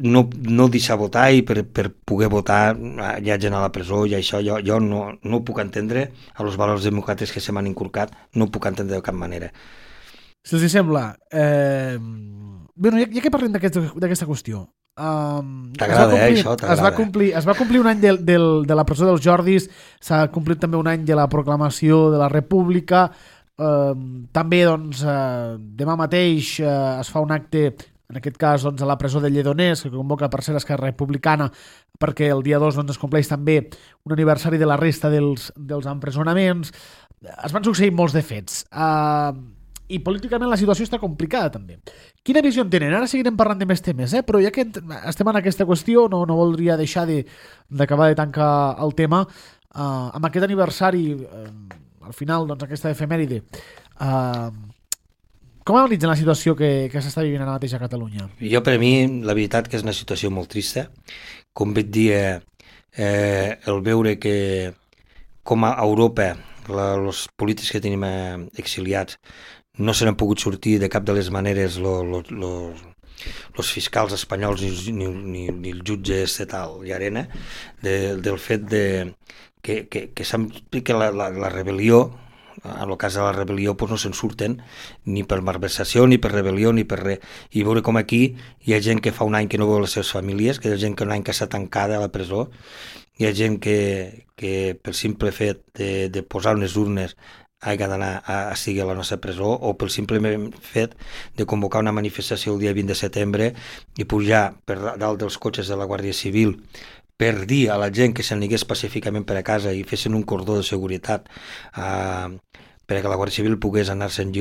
no, no deixar votar, i per, per poder votar hi ha gent a la presó, i això jo, jo no, no ho puc entendre, a els valors democràtics que se m'han inculcat, no ho puc entendre de cap manera. Si els sembla, eh... Bé, ja, ja que parlem d'aquesta qüestió, Um, t'agrada, eh, això? T'agrada. Es va complir, es va complir un any del, del, de la presó dels Jordis, s'ha complit també un any de la proclamació de la República, um, també doncs, uh, demà mateix uh, es fa un acte, en aquest cas doncs, a la presó de Lledoners, que convoca per ser Esquerra Republicana, perquè el dia dos doncs, es compleix també un aniversari de la resta dels, dels empresonaments. Es van succeir molts de fets. Uh, i políticament la situació està complicada també. Quina visió en tenen? Ara seguirem parlant de més temes, eh? Però ja que estem en aquesta qüestió, no, no voldria deixar d'acabar de, de tancar el tema uh, amb aquest aniversari, uh, al final, doncs, aquesta efemèride. Uh, com analitzen la situació que, que s'està vivint ara mateix a Catalunya? Jo, per a mi, la veritat que és una situació molt trista. Com vaig dir, eh, el veure que com a Europa la, els polítics que tenim eh, exiliats no se n'han pogut sortir de cap de les maneres els fiscals espanyols ni, ni, ni, ni els jutges de tal i arena, de, del fet de, que, que, que, que la, la, la rebel·lió, en el cas de la rebel·lió doncs no se'n surten ni per malversació, ni per rebel·lió, ni per res. I veure com aquí hi ha gent que fa un any que no veu les seves famílies, que hi ha gent que un any que està tancada a la presó, hi ha gent que, que per simple fet de, de posar unes urnes hagi d'anar a, a seguir a la nostra presó, o pel simple fet de convocar una manifestació el dia vint de setembre i pujar per dalt dels cotxes de la Guàrdia Civil per dir a la gent que se'n anés pacíficament per a casa i fessin un cordó de seguretat eh, perquè la Guàrdia Civil pogués anar-se'n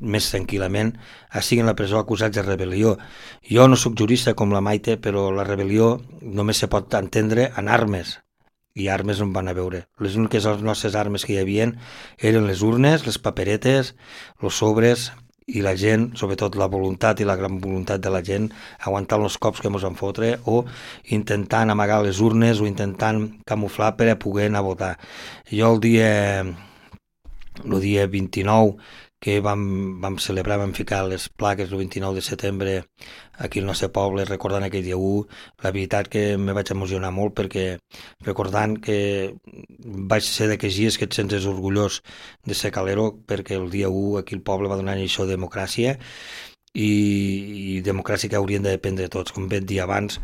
més tranquil·lament, a seguir en la presó acusats de rebel·lió. Jo no sóc jurista com la Maite, però la rebel·lió només se pot entendre en armes, i armes no en van a veure. Les úniques les nostres armes que hi havia eren les urnes, les paperetes, els sobres i la gent, sobretot la voluntat i la gran voluntat de la gent, aguantant els cops que ens van fotre o intentant amagar les urnes o intentant camuflar per a poder anar a votar. Jo el dia, el dia vint-i-nou que vam, vam celebrar, vam ficar les plaques el vint-i-nou de setembre aquí al nostre poble, recordant aquell dia u, la veritat que me vaig emocionar molt perquè recordant que vaig ser d'aquells dies que et sents orgullós de ser calero, perquè el dia u aquí el poble va donar això de democràcia i, i democràcia que haurien de dependre tots. Com vam dir abans,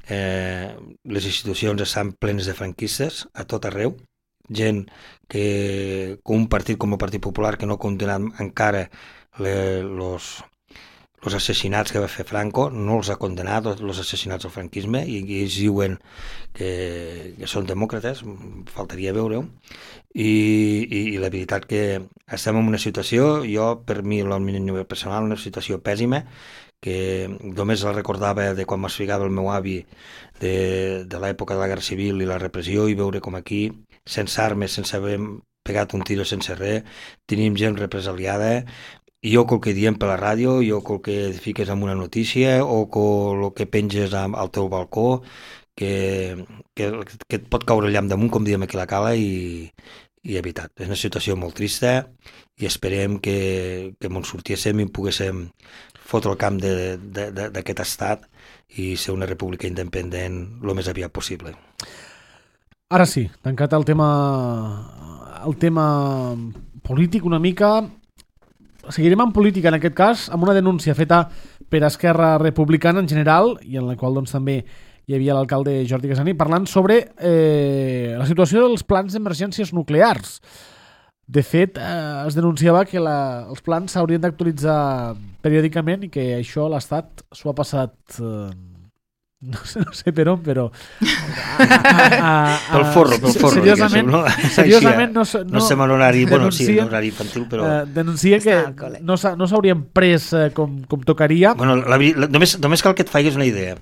eh, les institucions estan plenes de franquistes a tot arreu, gent que com un partit com el Partit Popular que no ha condemnat encara els assassinats que va fer Franco, no els ha condemnat els assassinats del franquisme, i, i ells diuen que, que són demòcrates, faltaria veure-ho, i, i, i la veritat que estem en una situació, jo per mi el meu personal, una situació pèssima, que només la recordava de quan m'explicava el meu avi de, de l'època de la Guerra Civil i la repressió, i veure com aquí, sense armes, sense haver pegat un tiro, sense res, tenim gent represaliada, i jo quel que diem per la ràdio, jo quel que fiques en una notícia, o el que penges al teu balcó, que, que, que et pot caure el llamp damunt, com diem aquí a la Cala, i, i és veritat, és una situació molt trista, i esperem que, que ens sortíssim i poguéssim fotre el camp d'aquest estat i ser una república independent el més aviat possible. Ara sí, tancat el tema el tema polític una mica, seguirem en política en aquest cas, amb una denúncia feta per Esquerra Republicana en general, i en la qual doncs també hi havia l'alcalde Jordi Casani parlant sobre eh, la situació dels plans d'emergències nuclears. De fet, eh, es denunciava que la, els plans s'haurien d'actualitzar periòdicament i que això l'Estat s'ho ha passat, eh, no, sé, no sé per on, però... A, a, a, pel forro, pel forro. Seriosament, no, seriosament no, no, no sé en horari, bueno, sí, en horari infantil, però... Eh, denuncia que no, no s'haurien pres eh, com, com tocaria. Bueno, la, la, només, només cal que et faiguis una idea.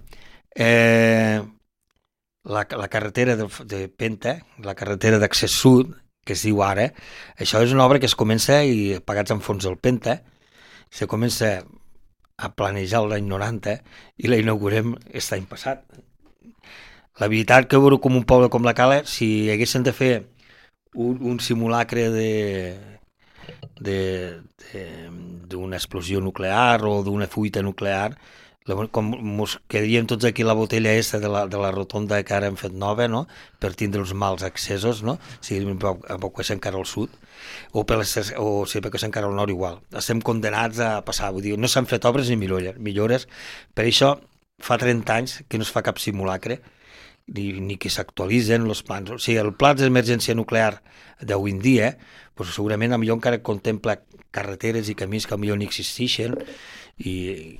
Eh, la, la carretera de, de Penta, la carretera d'accés sud, que es diu ara, això és una obra que es comença i pagats en fons del Penta, se comença a planejar l'any noranta i la inaugurem aquest any passat. La veritat que veure com un poble com la Cala, si haguessin de fer un, un simulacre de d'una explosió nuclear o d'una fuita nuclear, com ens quedaríem tots aquí la botella aquesta de la, de la rotonda que ara hem fet nova, no? Per tindre els mals accessos, no? Si evacuéssim encara al sud, o, per les, o si evacuéssim encara al nord igual. Estem condenats a passar, vull dir, no s'han fet obres ni millores. Per això fa trenta anys que no es fa cap simulacre, ni, ni que s'actualitzen els plans. O sigui, el pla d'emergència nuclear d'avui en dia, doncs segurament millor encara contempla carreteres i camins que millor no existeixen, i,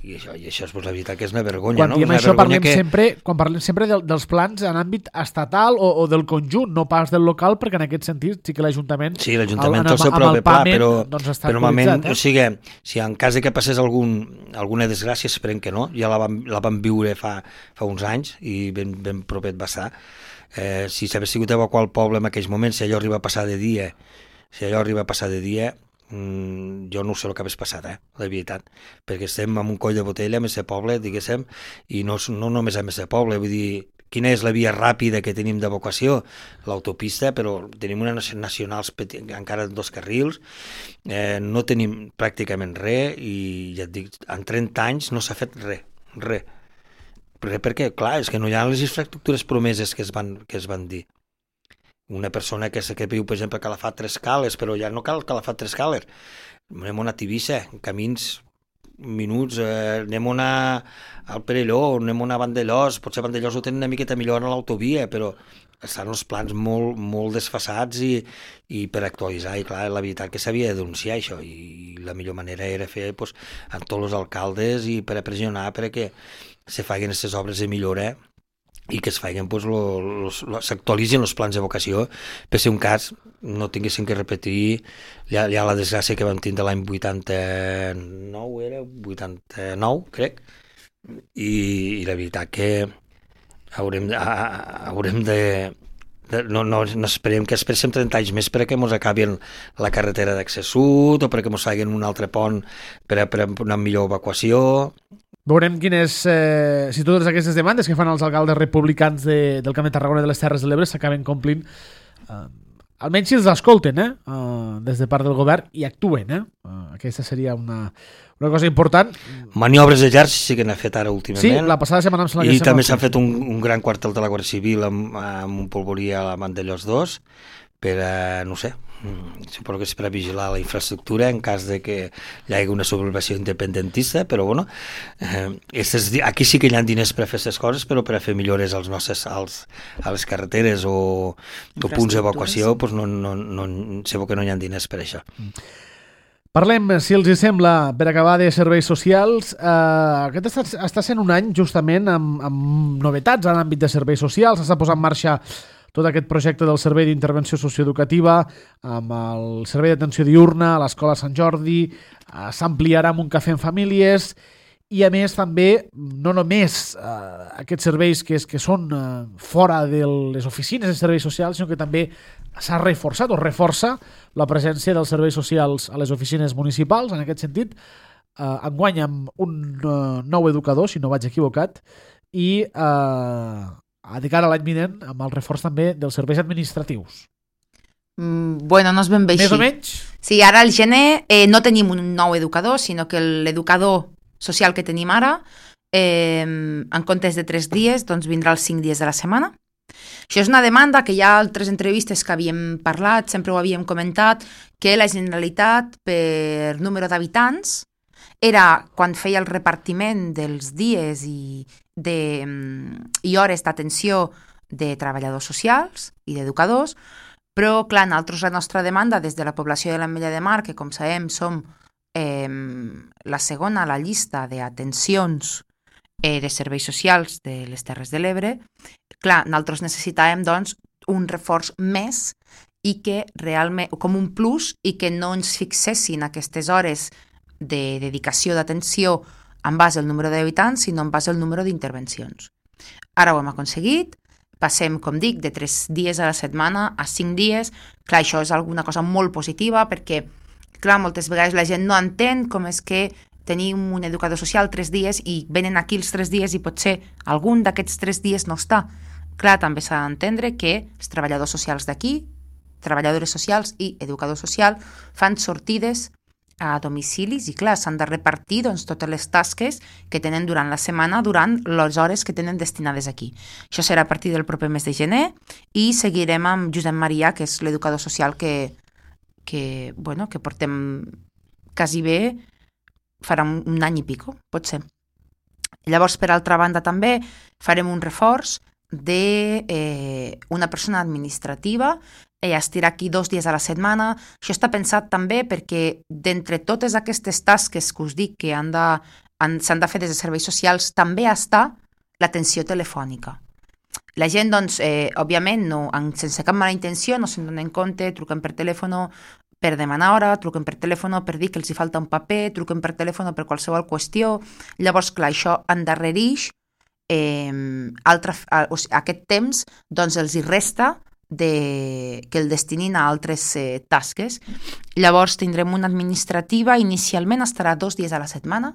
i això, i això és pues, la veritat que és una vergonya. Quan no? diem una això parlem, que... sempre, quan parlem sempre del, dels plans en àmbit estatal o, o del conjunt, no pas del local, perquè en aquest sentit sí que l'Ajuntament sí, l'Ajuntament té el seu propi pla, però, doncs està però normalment, eh? o sigui, si en cas de que passés algun, alguna desgràcia, esperem que no, ja la vam, la vam viure fa, fa uns anys i ben, ben propet va estar. Eh, si s'hagués sigut evacuar el poble en aquells moments, si allò arriba a passar de dia, si allò arriba a passar de dia, mm, jo no sé el que hagués passat, eh, la veritat, perquè estem en un coll de botella amb aquest poble, diguéssim, i no, no només amb aquest poble, vull dir, quina és la via ràpida que tenim d'evacuació? L'autopista, però tenim unes nacionals encara en dos carrils, eh, no tenim pràcticament res, i ja et dic, en trenta anys no s'ha fet res, res. Perquè, clar, és que no hi ha les infraestructures promeses que es van, que es van dir. Una persona que, que viu, per exemple, a Calafat tres cales, però ja no cal Calafat tres cales. Anem a Tivissa, camins minuts, eh, anem a al Perelló, anem a Vandellós, potser Vandellós ho tenen una miqueta millor a l'autovia, però estan els plans molt, molt desfasats i, i per actualitzar, i clar, la veritat que s'havia de denunciar això, i la millor manera era fer pues, amb tots els alcaldes i per a pressionar perquè se facin aquestes obres de millora i que es facin, pues, s'actualitzin els plans d'evocació per si un cas no tinguessin que repetir ja, ja la desgràcia que vam tindre l'any vuitanta-nou, era vuitanta-nou, crec, i, i la veritat que haurem, a, haurem de, de no, no, no esperem que esperem trenta anys més perquè ens acabin la carretera d'accés sud o perquè ens facin un altre pont per a, per a una millor evacuació. Veurem quines, eh, si totes aquestes demandes que fan els alcaldes republicans de, del Camp de Tarragona i de les Terres de l'Ebre s'acaben complint, eh, almenys si els escolten, eh, eh, des de part del govern i actuen. Eh? Eh, aquesta seria una, una cosa important. Maniobres d'exèrcit sí que n'ha fet ara últimament. Sí, la passada setmana em sembla que I també s'ha fet un, un gran quartel de la Guàrdia Civil amb, amb un polvorí a la Vandellós dos per a, no sé, suposo que és per a vigilar la infraestructura en cas de que hi hagi una sublevació independentista, però bueno, eh, estes, aquí sí que hi ha diners per a fer aquestes coses, però per a fer millores als nostres, als, a les carreteres o, o punts d'evacuació, pues no, no, no, segur que no hi ha diners per a això. Parlem, si els hi sembla, per acabar, de serveis socials. Eh, aquest està, està sent un any justament amb, amb novetats en l'àmbit de serveis socials. S'ha posat en marxa tot aquest projecte del Servei d'Intervenció Socioeducativa amb el Servei d'Atenció Diurna a l'Escola Sant Jordi, eh, s'ampliarà amb un cafè en famílies i a més també no només eh, aquests serveis que, és, que són eh, fora de les oficines de serveis socials, sinó que també s'ha reforçat o reforça la presència dels serveis socials a les oficines municipals. En aquest sentit, eh, enguany amb un eh, nou educador, si no vaig equivocat, i eh, a de cara a l'any vinent amb el reforç també dels serveis administratius. Mm, bueno, no és ben bé així. Més o menys? Sí, ara al gener eh, no tenim un nou educador, sinó que l'educador social que tenim ara, eh, en comptes de tres dies, doncs vindrà els cinc dies de la setmana. Això és una demanda que hi ha altres entrevistes que havíem parlat, sempre ho havíem comentat, que la Generalitat, per número d'habitants, era quan feia el repartiment dels dies i, de, i hores d'atenció de treballadors socials i d'educadors, però, clar, nosaltres la nostra demanda des de la població de l'Ametlla de Mar, que com sabem som eh, la segona a la llista d'atencions eh, de serveis socials de les Terres de l'Ebre, clar, nosaltres necessitàvem, doncs, un reforç més i que realment, com un plus, i que no ens fixessin aquestes hores de dedicació d'atenció en base al número d'habitants, sinó en base al número d'intervencions. Ara ho hem aconseguit, passem, com dic, de tres dies a la setmana a cinc dies. Clar, això és alguna cosa molt positiva perquè, clar, moltes vegades la gent no entén com és que tenim un educador social tres dies i venen aquí els tres dies i potser algun d'aquests tres dies no està. Clar, també s'ha d'entendre que els treballadors socials d'aquí, treballadores socials i educador social, fan sortides a domicilis i clar, s'han de repartir doncs, totes les tasques que tenen durant la setmana, durant les hores que tenen destinades aquí. Això serà a partir del proper mes de gener i seguirem amb Josep Maria, que és l'educador social que, que, bueno, que portem quasi bé, farà un, un any i pico, pot ser. Llavors, per altra banda, també farem un reforç d'una eh, persona administrativa. Ella estirà aquí dos dies a la setmana. Això està pensat també perquè d'entre totes aquestes tasques que us dic que han de, han, s'han de fer des de serveis socials, també està l'atenció telefònica. La gent, doncs, eh, òbviament, no, sense cap mala intenció, no se'n donen compte, truquen per telèfon per demanar hora, truquen per telèfon per dir que els hi falta un paper, truquen per telèfon per qualsevol qüestió. Llavors, clar, això endarrereix eh, altre, o sigui, aquest temps, doncs els hi resta de, que el destinin a altres eh, tasques. Llavors tindrem una administrativa, inicialment estarà dos dies a la setmana,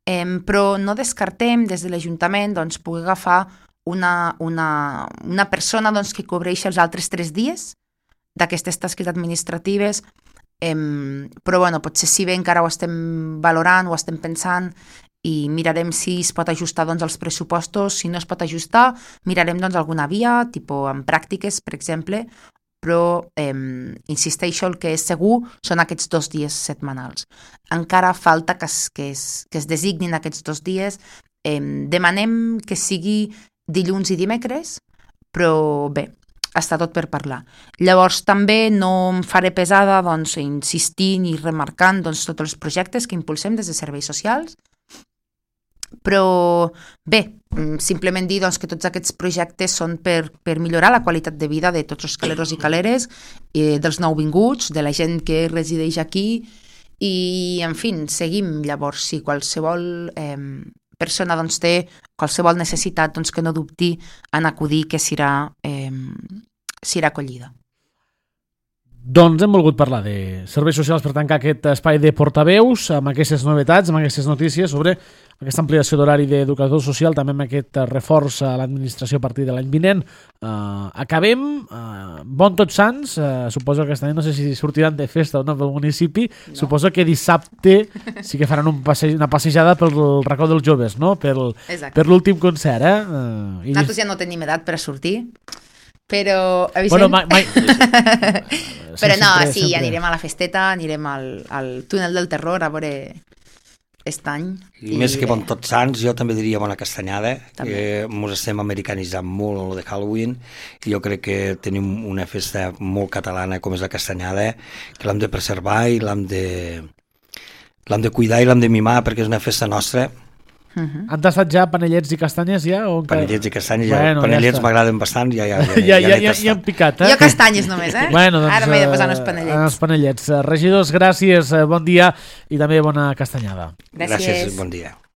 eh, però no descartem des de l'Ajuntament doncs, poder agafar una, una, una persona doncs, que cobreixi els altres tres dies d'aquestes tasques administratives, eh, però bueno, potser si bé encara ho estem valorant, ho estem pensant i mirarem si es pot ajustar doncs, els pressupostos. Si no es pot ajustar, mirarem doncs, alguna via, tipus en pràctiques, per exemple, però eh, insisteixo, el que és segur són aquests dos dies setmanals. Encara falta que es, que es, que es designin aquests dos dies. Eh, demanem que sigui dilluns i dimecres, però bé, està tot per parlar. Llavors també no em faré pesada doncs, insistint i remarcant doncs, tots els projectes que impulsem des de serveis socials, però bé, simplement dir doncs, que tots aquests projectes són per, per millorar la qualitat de vida de tots els caleros i caleres, eh, dels nouvinguts, de la gent que resideix aquí i, en fi, seguim. Llavors, si qualsevol eh, persona doncs, té qualsevol necessitat, doncs, que no dubti en acudir, que serà, eh, serà acollida. Doncs hem volgut parlar de serveis socials per tancar aquest espai de portaveus amb aquestes novetats, amb aquestes notícies sobre aquesta ampliació d'horari d'educador social, també amb aquest reforç a l'administració a partir de l'any vinent. Uh, acabem. Uh, bon Tots Sants. Uh, suposo que aquest any no sé si sortiran de festa o no pel municipi. No. Suposo que dissabte sí que faran un passe una passejada pel racó dels joves, no? Per, per l'últim concert. Eh? Uh, i Nosaltres ja no tenim edat per a sortir. Però, bueno, mai, mai... però no, sempre, sí, sempre. Anirem a la festeta, anirem al, al túnel del terror a veure aquest any. I, I més que bon Tots Sants, jo també diria bona castanyada, també. Que ens estem americanitzant molt en el de Halloween, i jo crec que tenim una festa molt catalana com és la castanyada, que l'hem de preservar i l'hem de, l'hem de cuidar i l'hem de mimar perquè és una festa nostra. Uh-huh. Han tastat ja panellets i castanyes ja? O encara... Panellets i castanyes, ja. Bueno, panellets ja m'agraden bastant, ja, ja, ja, ja, ja, ja, ja han picat, eh? Jo castanyes només, eh? Bueno, doncs, ara m'he de posar els panellets. Els panellets. Regidors, gràcies, bon dia i també bona castanyada. Gràcies, gràcies bon dia.